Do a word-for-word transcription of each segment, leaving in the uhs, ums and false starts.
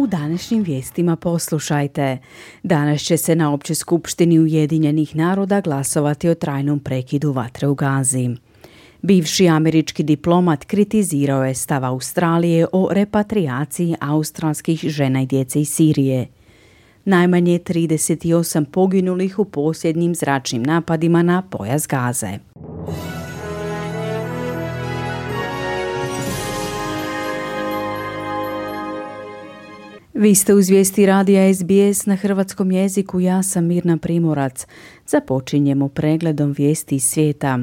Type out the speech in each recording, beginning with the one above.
U današnjim vijestima poslušajte. Danas će se na Općoj skupštini Ujedinjenih naroda glasovati o trajnom prekidu vatre u Gazi. Bivši američki diplomat kritizirao je stav Australije o repatrijaciji australskih žena i djece iz Sirije. Najmanje trideset osam poginulih u posljednjim zračnim napadima na pojas Gaze. Vi ste uz vijesti radija S B S na hrvatskom jeziku, ja sam Mirna Primorac. Započinjemo pregledom vijesti iz svijeta.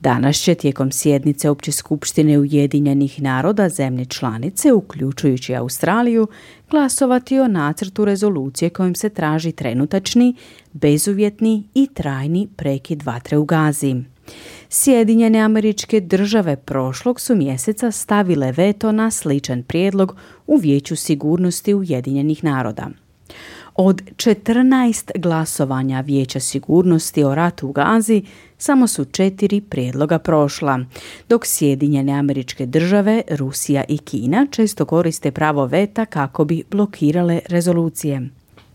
Danas će tijekom sjednice Opće skupštine Ujedinjenih naroda zemlje članice, uključujući Australiju, glasovati o nacrtu rezolucije kojim se traži trenutačni, bezuvjetni i trajni prekid vatre u Gazi. Sjedinjene Američke Države prošlog su mjeseca stavile veto na sličan prijedlog u Vijeću sigurnosti Ujedinjenih naroda. Od četrnaest glasovanja Vijeća sigurnosti o ratu u Gazi samo su četiri prijedloga prošla, dok Sjedinjene Američke Države, Rusija i Kina često koriste pravo veta kako bi blokirale rezolucije.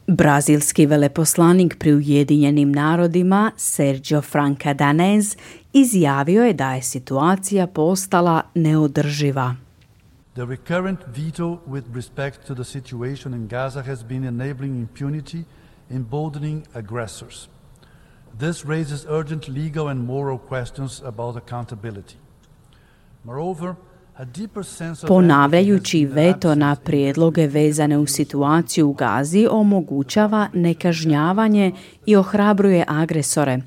Brazilski veleposlanik pri Ujedinjenim narodima Sergio Franca Danez izjavio je da je situacija postala neodrživa. The recurrent veto with respect to the situation in Gaza has been enabling impunity, emboldening aggressors. This raises urgent legal and moral questions about accountability. Moreover, ponavljajući veto na prijedloge vezane u situaciju u Gazi omogućava nekažnjavanje i ohrabruje agresore.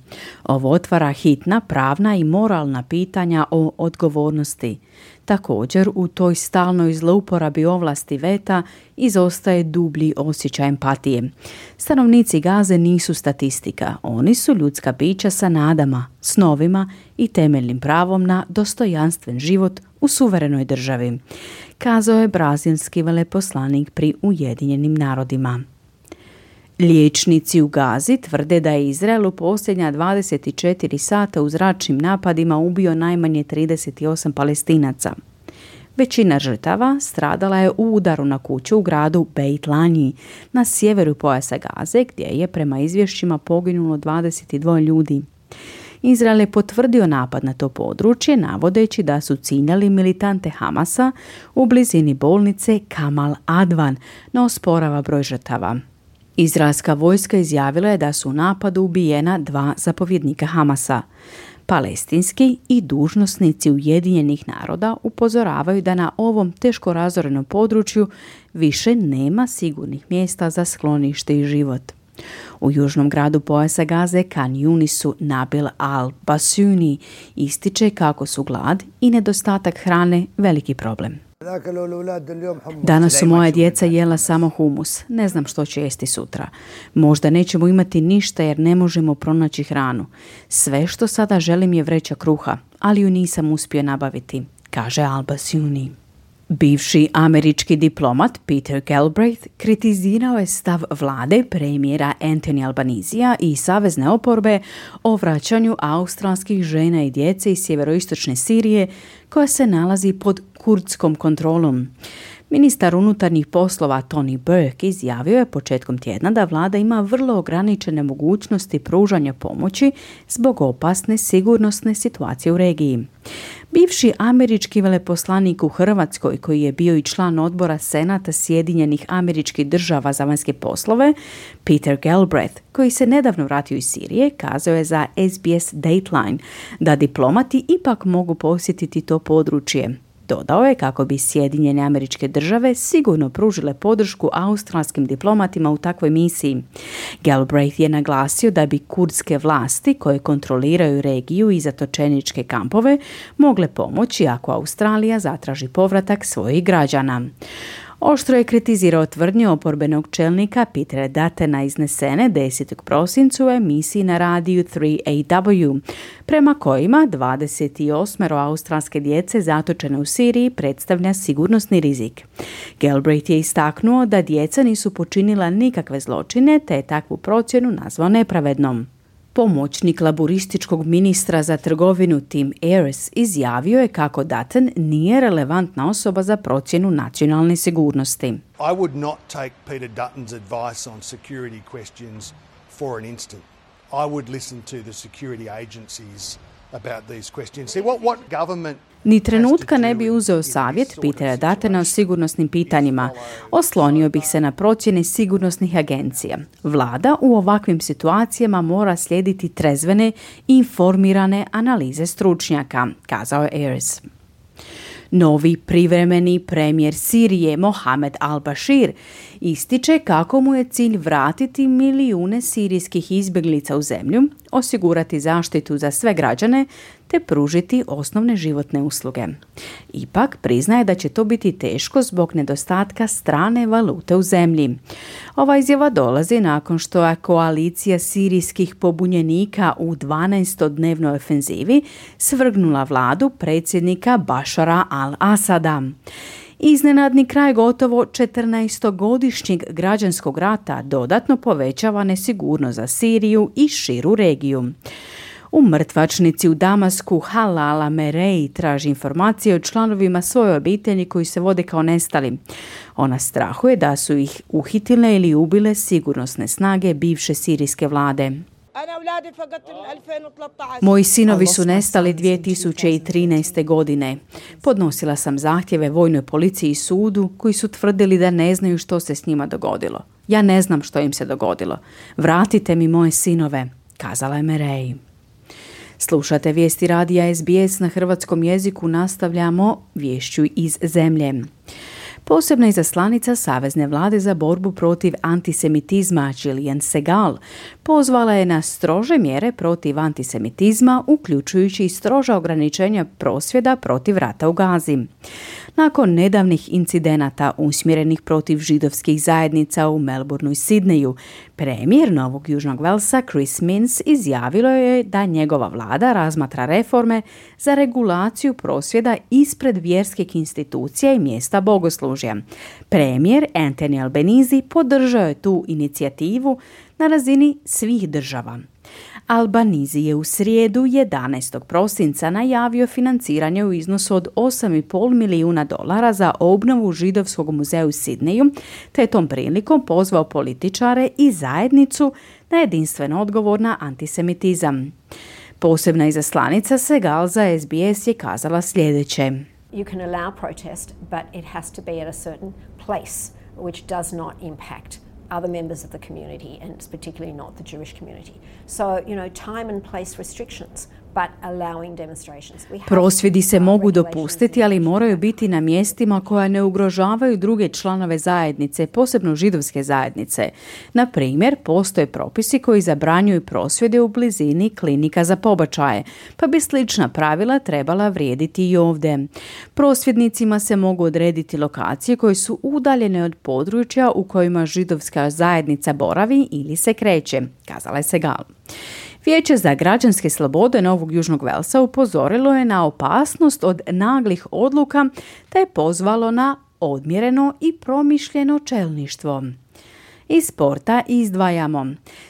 Ovo otvara hitna pravna i moralna pitanja o odgovornosti. Također, u toj stalnoj zlouporabi ovlasti veta izostaje dublji osjećaj empatije. Stanovnici Gaze nisu statistika, oni su ljudska bića sa nadama, snovima i temeljnim pravom na dostojanstven život u suverenoj državi, kazao je brazilski veleposlanik pri Ujedinjenim narodima. Liječnici u Gazi tvrde da je Izrael u posljednja dvadeset četiri sata u zračnim napadima ubio najmanje trideset osam Palestinaca. Većina žrtava stradala je u udaru na kuću u gradu Beit Lanji na sjeveru pojasa Gaze, gdje je prema izvješćima poginulo dvadeset dva ljudi. Izrael je potvrdio napad na to područje, navodeći da su ciljali militante Hamasa u blizini bolnice Kamal Advan, no osporava broj žrtava. Izraelska vojska izjavila je da su u napadu ubijena dva zapovjednika Hamasa. Palestinski i dužnosnici Ujedinjenih naroda upozoravaju da na ovom teško razorenom području više nema sigurnih mjesta za sklonište i život. U južnom gradu pojasa Gaze Khan Yunisu Nabil al-Basuni ističe kako su glad i nedostatak hrane veliki problem. Danas su moja djeca jela samo humus. Ne znam što će jesti sutra. Možda nećemo imati ništa jer ne možemo pronaći hranu. Sve što sada želim je vreća kruha, ali ju nisam uspio nabaviti, kaže al-Basuni. Bivši američki diplomat Peter Galbraith kritizirao je stav vlade premijera Anthony Albanisija i savezne oporbe o vraćanju australskih žena i djece iz sjeveroistočne Sirije koja se nalazi pod kurdskom kontrolom. Ministar unutarnjih poslova Tony Burke izjavio je početkom tjedna da vlada ima vrlo ograničene mogućnosti pružanja pomoći zbog opasne sigurnosne situacije u regiji. Bivši američki veleposlanik u Hrvatskoj, koji je bio i član odbora Senata Sjedinjenih Američkih Država za vanjske poslove, Peter Galbraith, koji se nedavno vratio iz Sirije, kazao je za S B S Dateline da diplomati ipak mogu posjetiti to područje. Dodao je kako bi Sjedinjene Američke Države sigurno pružile podršku australskim diplomatima u takvoj misiji. Galbraith je naglasio da bi kurdske vlasti koje kontroliraju regiju i zatočeničke kampove mogle pomoći ako Australija zatraži povratak svojih građana. Oštro je kritizirao tvrdnje oporbenog čelnika Petera Duttona iznesene desetog prosinca u emisiji na radiju tri A W, prema kojima dvadeset osam australske djece zatočene u Siriji predstavlja sigurnosni rizik. Galbraith je istaknuo da djeca nisu počinila nikakve zločine, te je takvu procjenu nazvao nepravednom. Pomoćnik laburističkog ministra za trgovinu Tim Ayres izjavio je kako Dutton nije relevantna osoba za procjenu nacionalne sigurnosti. I would not take Peter Dutton's advice on security questions for an instant. I would listen to the security agencies about these questions. See, what, what government Ni trenutka ne bi uzeo savjet Petera Duttona o sigurnosnim pitanjima. Oslonio bih se na procjene sigurnosnih agencija. Vlada u ovakvim situacijama mora slijediti trezvene i informirane analize stručnjaka, kazao je Ayres. Novi privremeni premijer Sirije Mohamed al-Bashir ističe kako mu je cilj vratiti milijune sirijskih izbjeglica u zemlju, osigurati zaštitu za sve građane te pružiti osnovne životne usluge. Ipak priznaje da će to biti teško zbog nedostatka strane valute u zemlji. Ova izjava dolazi nakon što je koalicija sirijskih pobunjenika u dvanaestodnevnoj ofenzivi svrgnula vladu predsjednika Bašara al-Asada. Iznenadni kraj gotovo četrnaestogodišnjeg građanskog rata dodatno povećava nesigurnost za Siriju i širu regiju. U mrtvačnici u Damasku Halala Merej traži informacije o članovima svoje obitelji koji se vode kao nestali. Ona strahuje da su ih uhitile ili ubile sigurnosne snage bivše sirijske vlade. Moji sinovi su nestali dvije tisuće trinaeste. godine. Podnosila sam zahtjeve vojnoj policiji i sudu koji su tvrdili da ne znaju što se s njima dogodilo. Ja ne znam što im se dogodilo. Vratite mi moje sinove, kazala je Merej. Slušate vijesti radija S B S na hrvatskom jeziku, nastavljamo viješću iz zemlje. Posebna izaslanica Savezne vlade za borbu protiv antisemitizma Gillian Segal pozvala je na strože mjere protiv antisemitizma, uključujući i stroža ograničenja prosvjeda protiv rata u Gazi. Nakon nedavnih incidenata usmjerenih protiv židovskih zajednica u Melbourneu i Sidneju, premijer Novog Južnog Velsa Chris Minns izjavilo je da njegova vlada razmatra reforme za regulaciju prosvjeda ispred vjerskih institucija i mjesta bogoslužja. Premijer Anthony Albanese podržao je tu inicijativu na razini svih država. Albanese je u srijedu jedanaestog prosinca najavio financiranje u iznosu od osam i pol milijuna dolara za obnovu židovskog muzeja u Sidneju, te je tom prilikom pozvao političare i zajednicu na jedinstven odgovor na antisemitizam. Posebna izaslanica Segal za S B S je kazala sljedeće. You can allow protest, but it has to be at a certain place which does not impact other members of the community, and it's particularly not the Jewish community. So, you know, time and place restrictions, but allowing demonstrations. Prosvjedi se mogu dopustiti, ali moraju biti na mjestima koja ne ugrožavaju druge članove zajednice, posebno židovske zajednice. Na primjer, postoje propisi koji zabranjuju prosvjede u blizini klinika za pobačaje, pa bi slična pravila trebala vrijediti i ovdje. Prosvjednicima se mogu odrediti lokacije koje su udaljene od područja u kojima židovska zajednica boravi ili se kreće, kazala je Segal. Vijeće za građanske slobode Novog Južnog Velsa upozorilo je na opasnost od naglih odluka te je pozvalo na odmjereno i promišljeno čelništvo. Iz sporta izdvajamo.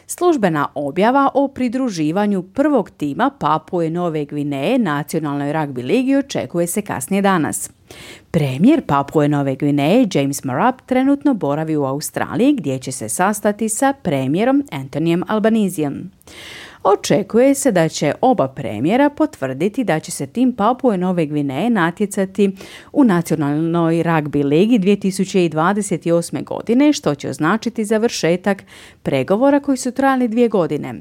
Službena objava o pridruživanju prvog tima Papue Nove Gvineje nacionalnoj ragbi ligi očekuje se kasnije danas. Premijer Papue Nove Gvineje James Marape trenutno boravi u Australiji gdje će se sastati sa premijerom Anthonyjem Albaneseom. Očekuje se da će oba premijera potvrditi da će se tim Papue Nove Gvineje natjecati u nacionalnoj ragbi ligi dvije tisuće dvadeset osme. godine, što će označiti završetak pregovora koji su trajali dvije godine.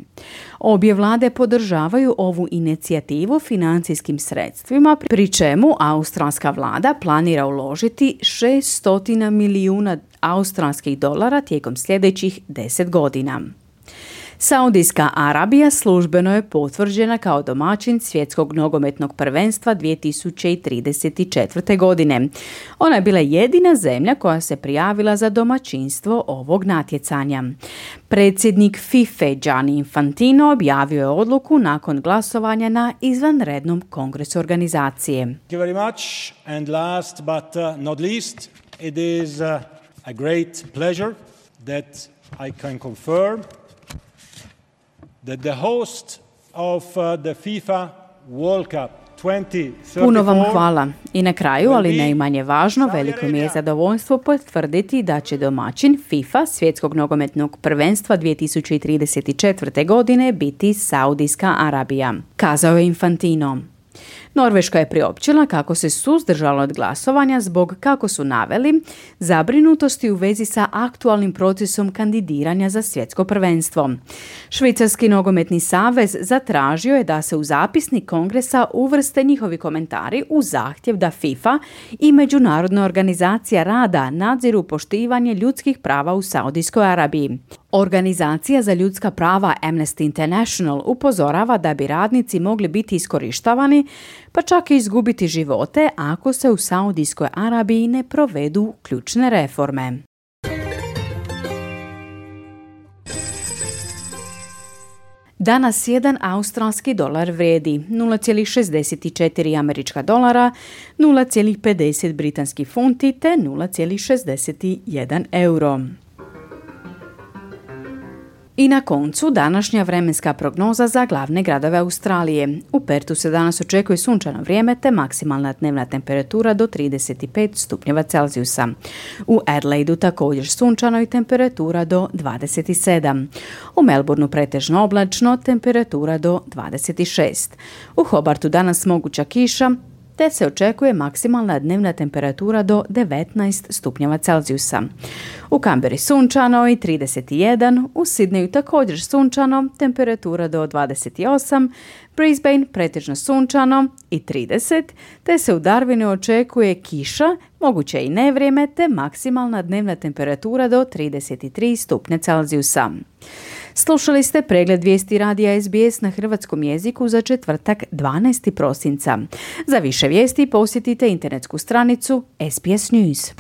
Obje vlade podržavaju ovu inicijativu financijskim sredstvima, pri čemu australska vlada planira uložiti šest milijuna australskih dolara tijekom sljedećih deset godina. Saudijska Arabija službeno je potvrđena kao domaćin svjetskog nogometnog prvenstva dvije tisuće trideset četvrte. godine. Ona je bila jedina zemlja koja se prijavila za domaćinstvo ovog natjecanja. Predsjednik FIFA Gianni Infantino objavio je odluku nakon glasovanja na izvanrednom kongresu organizacije. Thank you very much. And last but uh, not least, it is uh, a great pleasure that I can confirm that the host of uh, the FIFA World Cup Puno vam hvala. I na kraju, ali ne i manje važno, veliko mi je zadovoljstvo potvrditi da će domaćin FIFA svjetskog nogometnog prvenstva dvije tisuće trideset četvrte. godine biti Saudijska Arabija, kazao je Infantino. Norveška je priopćila kako se suzdržala od glasovanja zbog, kako su naveli, zabrinutosti u vezi sa aktualnim procesom kandidiranja za svjetsko prvenstvo. Švicarski nogometni savez zatražio je da se u zapisnik kongresa uvrste njihovi komentari u zahtjev da FIFA i Međunarodna organizacija rada nadziru poštivanje ljudskih prava u Saudijskoj Arabiji. Organizacija za ljudska prava Amnesty International upozorava da bi radnici mogli biti iskorištavani, pa čak i izgubiti živote ako se u Saudijskoj Arabiji ne provedu ključne reforme. Danas jedan australski dolar vrijedi nula zarez šezdeset četiri američka dolara, nula zarez pedeset britanski funti te nula zarez šezdeset jedan euro. I na koncu današnja vremenska prognoza za glavne gradove Australije. U Pertu se danas očekuje sunčano vrijeme te maksimalna dnevna temperatura do trideset pet stupnjeva Celzijusa. U Adelaidu također sunčano i temperatura do dvadeset sedam. U Melbourneu pretežno oblačno, temperatura do dvadeset šest. U Hobartu danas moguća kiša, te se očekuje maksimalna dnevna temperatura do devetnaest stupnjeva Celzijusa. U Canberri sunčano i trideset jedan, u Sydneyu također sunčano, temperatura do dvadeset osam, Brisbane pretežno sunčano i trideset, te se u Darwinu očekuje kiša, moguće i nevrijeme, te maksimalna dnevna temperatura do trideset tri stupnja Celzijusa. Slušali ste pregled vijesti radija S B S na hrvatskom jeziku za četvrtak dvanaestog prosinca. Za više vijesti posjetite internetsku stranicu S B S News.